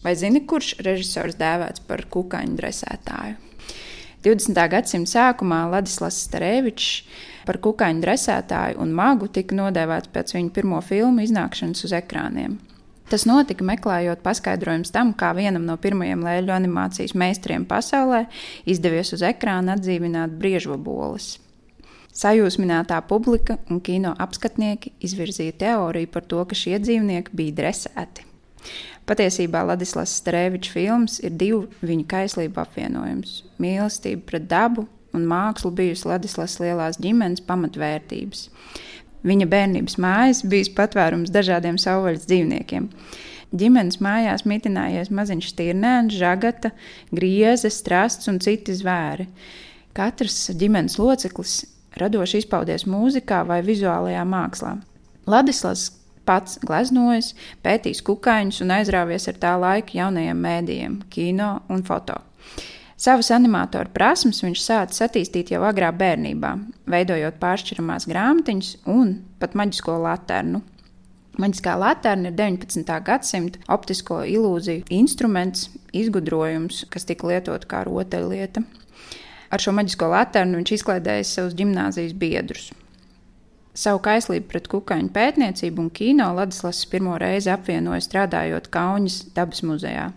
Vai zini, kurš režisors dēvēts par kukaiņu dresētāju? 20. gadsimta sākumā Ladislavs Starevičs par kukaiņu dresētāju un magu tika nodēvēts pēc viņa pirmo filmu iznākšanas uz ekrāniem. Tas notika meklējot paskaidrojums tam, kā vienam no pirmajiem lēļu animācijas meistariem pasaulē izdevies uz ekrāna atdzīvināt briežvaboles. Sajūsminātā publika un kino apskatnieki izvirzīja teoriju par to, ka šie dzīvnieki bija dresēti. Patiesībā Ladislavs Starevičs filmas ir divu viņa kaislību apvienojums. Mīlestība pret dabu un mākslu bijusi Ladislavas lielās ģimenes pamatvērtības. Viņa bērnības mājas bijis patvērums dažādiem savvaļas dzīvniekiem. Ģimenes mājās mitinājies maziņš stirnēns, žagata, grieze, strasts un citi zvēri. Katrs ģimenes loceklis radoši izpaudies mūzikā vai vizuālajā mākslā. Ladislavs pats gleznojas, pētīs kukaiņus un aizrāvies ar tā laika jaunajiem mēdījiem, kino un foto. Savas animatoru prasmes viņš sācis attīstīt jau agrā bērnībā, veidojot pāršķiramās grāmatiņas un pat maģisko laternu. Maģiskā laterna ir 19. gadsimta optisko ilūziju instruments, izgudrojums, kas tika lietot kā rotaļlieta. Ar šo maģisko laternu viņš izklaidēja savus ģimnāzijas biedrus. Savu kaislību pret kukaiņu pētniecību un kino Ladislavs pirmo reizi apvienoja strādājot Kauņas dabas muzejā.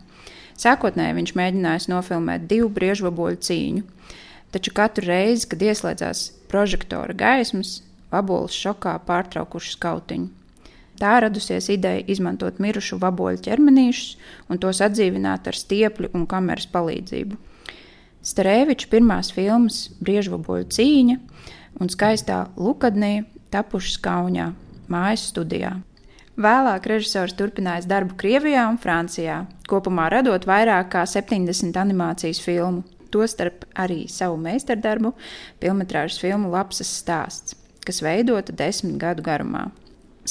Sākotnēji viņš mēģinājis nofilmēt 2 briežvaboļu cīņu, taču katru reizi, kad ieslēdzās prožektora gaismas, vaboles šokā pārtraukuši skautiņu. Tā radusies ideja izmantot mirušu vaboļu ķermenīšus un tos atdzīvināt ar stiepļu un kameras palīdzību. Stareviča pirmās filmas Briežvaboļu cīņa un Skaistā Lukadnija tapušas Kauņā, mājas studijā. Vēlāk režisors turpinājis darbu Krievijā un Francijā, kopumā radot vairāk kā 70 animācijas filmu, tostarp arī savu meistardarbu filmetrāžas filmu Lapsas stāsts, kas veidota 10 gadu garumā.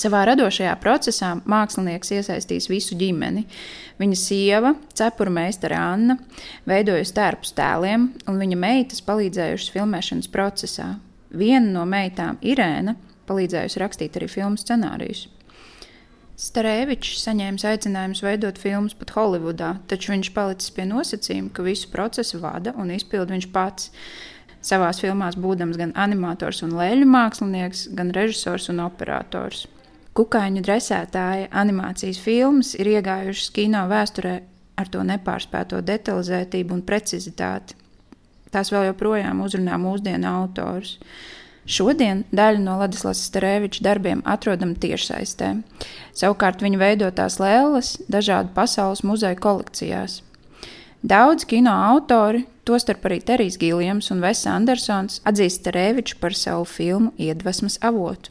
Savā radošajā procesā mākslinieks iesaistīs visu ģimeni. Viņa sieva, cepurmeistare Anna, veidojusi tērpus tēliem, un viņa meitas palīdzējušas filmēšanas procesā. Viena no meitām, Irēna, palīdzējusi rakstīt arī filmu scenārijus. Starevičs saņēmis aicinājumus veidot filmas pat Holivudā, taču viņš palicis pie nosacījuma, ka visu procesu vada un izpilda viņš pats. Savās filmās būdams gan animators un lēļu mākslinieks, gan režisors un operators. Kukaiņu dresētāja animācijas filmas ir iegājušas kino vēsturē ar to nepārspēto detalizētību un precizitāti. Tās vēl joprojām uzrunā mūsdienu autors. Šodien daļa no Ladislavs Stareviča darbiem atrodama tiešsaistē. Savukārt viņa veidotās lēles dažādu pasaules muzeju kolekcijās. Daudz kino autori, tostarp arī Terijs Giljams un Wes Andersons, atzīst Stareviču par savu filmu iedvesmas avotu.